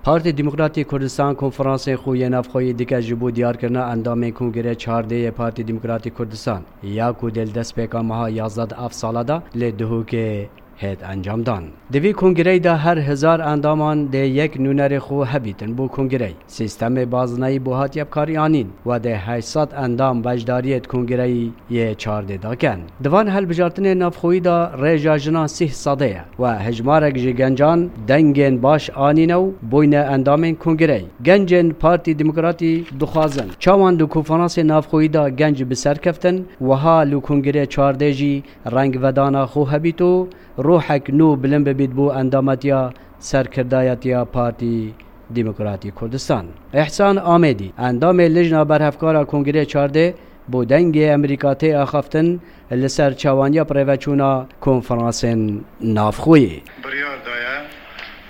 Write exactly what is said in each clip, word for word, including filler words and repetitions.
Partî Demokratî Kurdistan konferansên xwe yê navxweyî dike ji bo diyarkirina endamên Kongrê çardê yê Partî Demokratî Kurdistan, ya ku dê li destpêka meha yazdeh di ev sala de li Duhokê hêt encamdan. Di vî kongreyî de her hezar endaman dê yek nûnerê xwe hebîtin bo kongreyî. Sîstemê bazinayî bo hatiye bi karî anîn we dê heşt sed endam beşdariyê di kongreyî yê çardê de ken. Di van hilbijartinên navxweyî de rêja jinan sîh sedê ye we hejmarek ji gencan dengên baş anîne û bûyne endamên kongreyî. Gencên Partî Demokratî dixwazin çawan di konferansê navxweyî de genc bi ser keftin, wiha li kongrê çardê jî rengvedana xwe hebît û ruhek nû bilind bibît bo endametiya serkirdayetiya Partî Demokratî Kurdistan. Îhsan Amêdî, endamê Lijna Berhevkara Kongrê çardê, bo Dengê Amerîka tê axaftin li ser çawaniya birêveçûna konferansên navxweyî. Biryar daye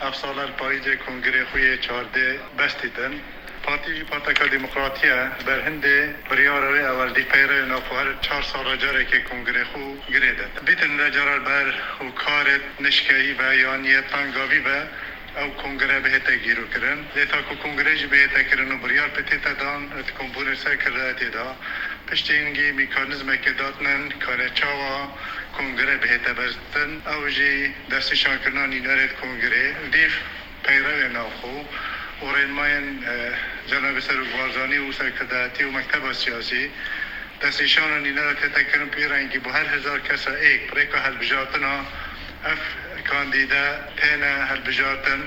ev sala li payîzê kongrê xwe yê çardê bes dîtin. Partî jî Parteka Demokratî ye. Berhindê biryara wê ewil dî peyrevê navxwe her çar sala carekê kongrê xwe girê didin. Bîtin vê cara li ber û karê nişkeyî ve yan yê tengavî ve ew kongre bihête gîrokirin. Lê ta ku kongre jî bihête kirin û biryar pê tête dan di kombûnê serkirdayetê de piştî hingî mekanîzmekê datnin kare çawa kongre bihête bezdin. Ew jî destnîşankirina nînerê di kongrê. Dîv peyrevê navxwe û rênmayên, e, Cenabê Serok Barzanî û serkirdayetî û mekteba siyasî destnîşana nînera tête kirin pê rengî bo her hezar kesa êk bi rêka hilbijartina ev kandîde têne hilbijartin,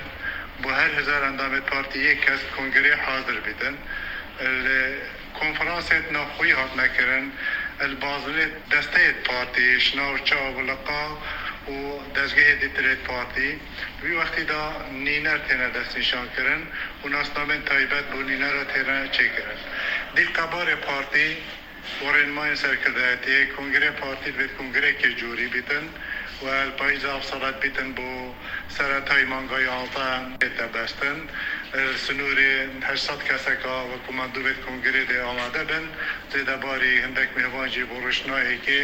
bo her hezar endamê partî yek kes kongrê hazir bîtin. Li konferansê navxweyî hatine kirin, li bazinê desteyê partî, ji nav çav û liqa û dezgehê dîtirê partî, di wî wextî de nîner têne destnîşankirin û nasnamên taybet bo nînera têne çêkirin. Dîv qebarê partî û rênmayên serkirdayetiyê, kongrê partî divêt kongrekê corî bîtin û li payîza ev sala dibîtin bo seretayî manga yanzdeh bête bestin. Li sînorê heşt sed keseka wek ku mendûbê kongrê dê amade bin, zêdebarî hindek mêvan jî bo rojna êkê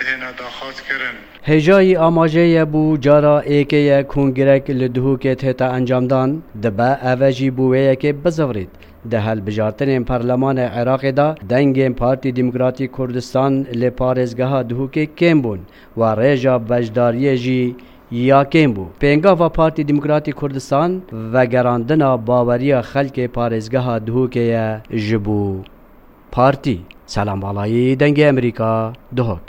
dihêne daxwazkirin. Hêjayî amajê ye bû cara êkê ye kongrek li Duhokê tête encamdan, dibe eve jî bo wê yekê bizivirît. Di hilbijartinên Perlemanê Iraqê de dengên Partî Demokratîk Kurdistan li parêzgeha Duhokê kêm bûn we rêja beşdariyê jî ya kêm bû. Pêngava Partî Demokratîk Kurdistan vegerandina baweriya xelkê parêzgeha Duhokê ye ji bo partî. Selam Balayî, Dengê Amerîka, Duhok.